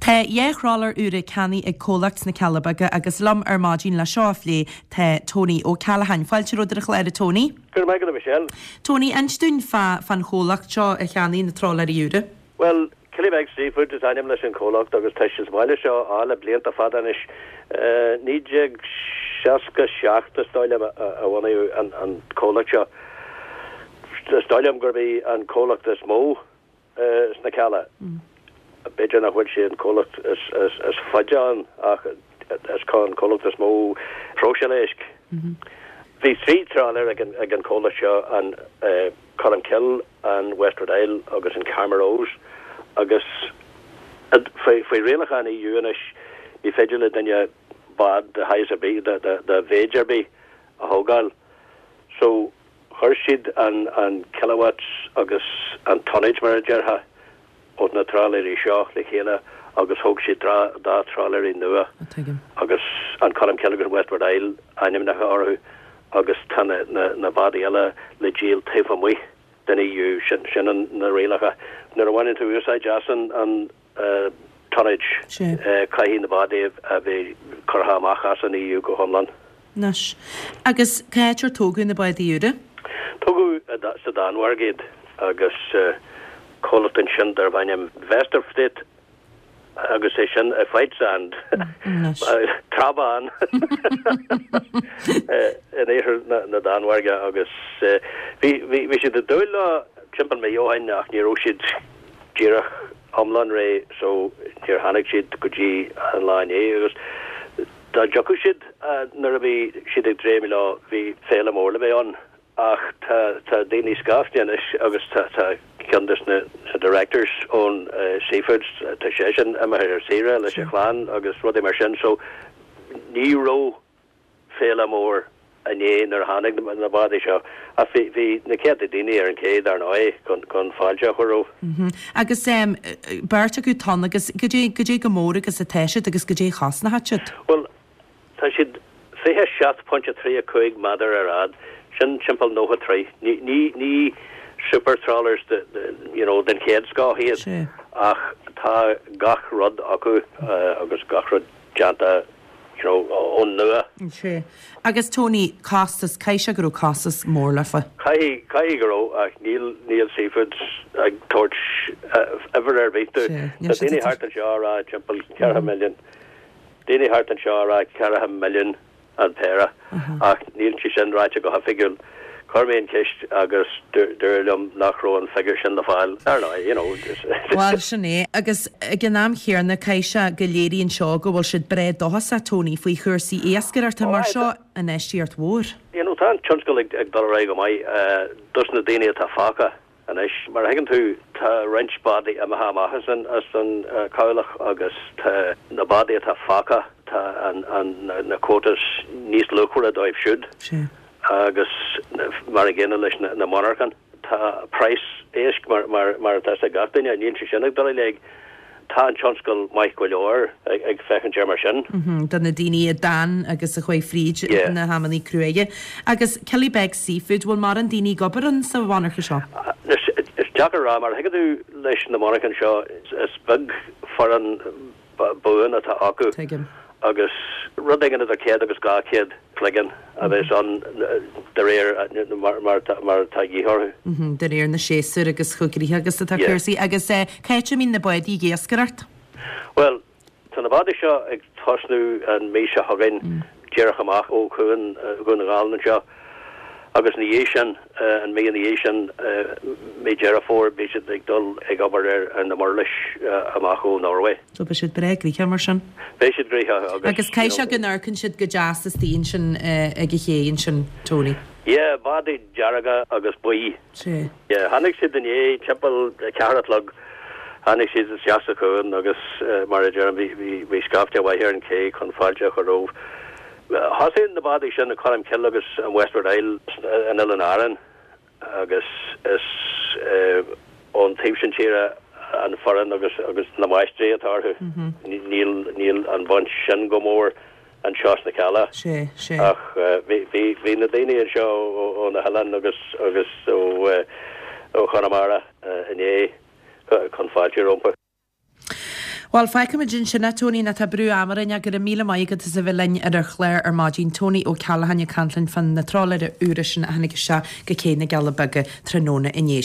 Tá 2 thrálaer úra ceannaithe ag comhlacht sna Cealla Beaga agus liom ar maidin le seo a phlé tá Tony Ó Ceallacháin. Fáilte romhat ar an chlár a Tony. Go raibh maith agat a Mhichelle. Tony, inis dúinn fá fán chomhlacht seo a cheannaigh na trálaeirí úra. Bhuel, Killybegs Seafoods is ainm leis an chomhlacht agus tá sé sa bhaile seo á le blianta fada anois. 1967 is dóigh liom a bunaíodh an comhlacht seo. Is dóigh liom gurb é an comhlacht is mó sna Cealla. B'fhéidir nach bhfuil sé an comhlacht is faide ann ach is an comhlacht is mó próiseáil éisc. Bhí 3 trálaer ag an comhlacht seo, an Colmcille, an Westward Isle agus an Carmagh Rose agus faoi rialacháin EU anois ní féidir le duine bád de shaghas ar bith, de mhéid ar bith a thógáil. So Chuir siad an kilowatts agus an tonnage, mar a déarfá, ó na trálaeirí seo le chéile agus thóg siad dá trálaeirí nua agus an Colmcille agus Westward Isle ainmneacha orthu agus tá na bádaí eile le díol taobh amuigh den EU. Sin na rialacha. Nuair a bhaineann tú úsáid as an tonnage, caithfidh na bádaí a bheith curtha amach as an EU go hiomlán. Anois. Agus cá háit ar tógadh na bádaí úra? Tógadh sa Danmhairg iad agus comhlacht ansin darbh ainm Vesterflit agus é sin i White-Sand, Trá Bhán, in iarthar na Danmhairge agus bhí siad ag dúil leo timpeall mí ó shin ach ní raibh siad díreach iomlán réidh so níor tháinig siad go dtí an lá inné agus dá dtiocfadh siad nuair a bhí siad ag dréim leo bhí féile mór le bheith ann ach tá tá daoine scaifte anois agus tá tá ceann des na directors ón Seafoods tá seisean imithe ar saoire leis a chlann agus rudaí mar sin so ní raibh féile mór inné nuair a tháinig na bádaí seo ach bhí bhí na céadta daoine ar an ché dar ndóigh chun chun fáilte a chur rompu. Agus beirt acu tonn agus goidé goidé chomh mór agus atá siad agus goidé a chosnóidh siad? Bhuel tá siad 27.35 méadar ar fhad, sin timpeall 90 troigh. Ní ní ní super trawlers de de you know den chéad scoth iad ach tá gach rud acu agus gach rud déanta you know, ón nua. Sea. Agus Tony, costas, caithfidh sé go raibh costas mór leofa. Caithfidh, caithfidh go raibh ach níl, níl Seafoods ag tabhairt uimhir ar bith dúinn. Sea, níl Tá daoine thart anseo a rá timpeall ceathracha milliún, daoine thart anseo a rá ceathracha milliún an péire ach níl sé sin ráite go hoifigiúil. Chuir mé an cheist agus dúradh liom nach raibh an figiúr sin le fáil. Ar ndóigh, you know. Bhuel, sin é. Agus ag an am chéanna, caithfidh sé go léiríonn seo go bhfuil siad breá dóchasach, Tony, faoi chúrsaí iascaireachta, mar seo infheistíocht mhór. You know, tá an tionscal ag dul ar aghaidh go maith dos na daoine atá fágtha. Anois, mar a thuigeann tú, tá roinnt bádaí imithe amach as an as an chabhlach agus tá na bádaí atá fágtha, tá an an na quotas níos luachmhaire dóibh siúd. Agus mar an gcéanna leis na na monarchan. Tá praghas éisc mar mar mar atá ag gach duine, níl sé sin ag dul i léig. Tá an tionscal maith go leor ag féachaint air mar sin. Do na daoine a d'fhan agus a chuaigh fríd na hamannaí cruaidhe. Agus Killybegs Seafood, bhfuil mórán daoine ag obair ann sa mhonarcha seo? Is deacair a rá, mar a thuigeann tú leis na monarchain seo, is beag foireann buan atá acu. Tuigim. Agus rud éigin idir 100 agus 200 cloigeann a bheas ann de réir mar atá dhíth orthu. De réir na séasúr agus chomh gnoitheach agus atá cúrsaí. Agus cá háit a mbíonn na bádaí ag iascaireacht? Bhuel, tá na bádaí seo ag tosnú an mhí seo chugainn díreach amach ó chuan Dhún na nGall anseo agus ina dhiaidh sin, an mhí ina dhiaidh sin, mí Deireadh Fómhair, beidh siad ag dul ag obair ar na murlais amach ó Norway. So beidh siad breá gnoitheach mar sin. Beidh siad gnoitheach agus. Agus caithfidh sé go n-amharcann siad go deas istigh ansin ag an ché ansin, Tony. Yeah, bádaí dearga agus buí. Sea. Yeah, tháinig siad inné timpeall a ceathair a chlog, tháinig siad isteach sa chuan agus mar a deirim bhí, bhí, bhí scaifte mhaith ar an ché chun fáilte a chur rompu. Thosaigh na bádaí sin, an Colmcille agus an Westward Isle in Oileáin Árann. agus is ón taobh sin tíre an foireann agus agus na máistrí atá orthu. Níl níl an bhaint sin go mór anseo sna Cealla. Sea, sea. Ach bhí bhí bhí na daoine anseo ó na hoileáin agus agus ó ó Chonamara inné chun fáilte rompu. Bhuel, fágfaimid ansin é, Tony, nó tá brú ama orainn ach go raibh míle maith agat as a bheith linn ar an chlár ar maidin. Tony Ó Ceallacháin ag caint linn fán na trálaeir úra sin a tháinig isteach go Cé na gCealla Beaga tráthnóna inné.